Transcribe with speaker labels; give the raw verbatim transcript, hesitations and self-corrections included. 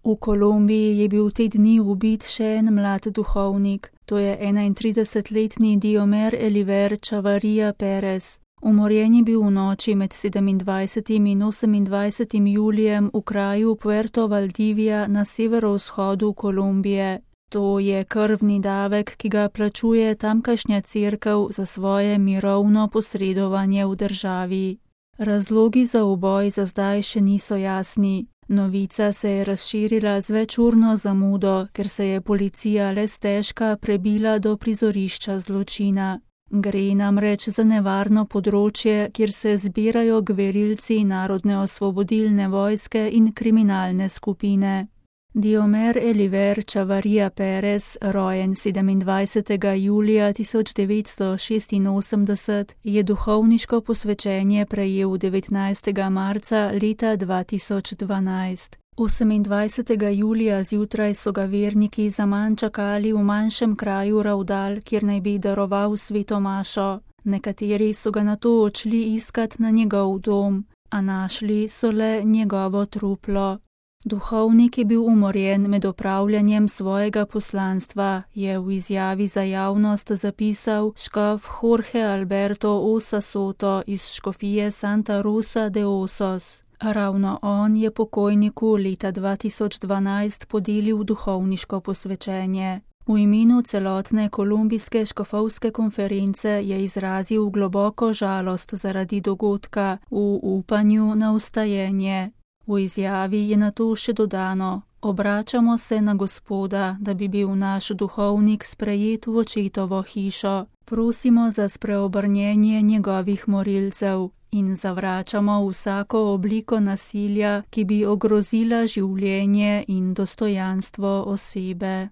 Speaker 1: V Kolumbiji je bil te dni ubit še en mlad duhovnik, to je enaintridesetletni Diomer Eliver Chavarria Perez. Umorjen je bil v noči med sedemindvajsetim in osemindvajsetim julijem v kraju Puerto Valdivia na severovzhodu Kolumbije. To je krvni davek, ki ga plačuje tamkajšnja cerkev za svoje mirovno posredovanje v državi. Razlogi za uboj za zdaj še niso jasni. Novica se je razširila z večurno zamudo, ker se je policija le stežka prebila do prizorišča zločina. Gre namreč za nevarno področje, kjer se zbirajo gverilci Narodne osvobodilne vojske in kriminalne skupine. Diomer Eliver Chavarria Perez, rojen sedemindvajsetega julija tisoč devetsto šestinosemdeset, je duhovniško posvečenje prejel devetnajstega marca leta dva tisoč dvanajst. osemindvajsetega julija zjutraj so ga verniki zaman čakali v manjšem kraju Raudal, kjer naj bi daroval sveto mašo. Nekateri so ga nato odšli iskat na njegov dom, a našli so le njegovo truplo. Duhovnik je bil umorjen med opravljanjem svojega poslanstva, je v izjavi za javnost zapisal škof Jorge Alberto Osa Soto iz škofije Santa Rosa de Osos. Ravno on je pokojniku leta dva tisoč dvanajst podelil duhovniško posvečenje. V imenu celotne kolumbijske škofovske konference je izrazil globoko žalost zaradi dogodka v upanju na vstajenje. V izjavi je nato še dodano: obračamo se na Gospoda, da bi bil naš duhovnik sprejet v očetovo hišo. Prosimo za spreobrnjenje njegovih morilcev in zavračamo vsako obliko nasilja, ki bi ogrozila življenje in dostojanstvo osebe.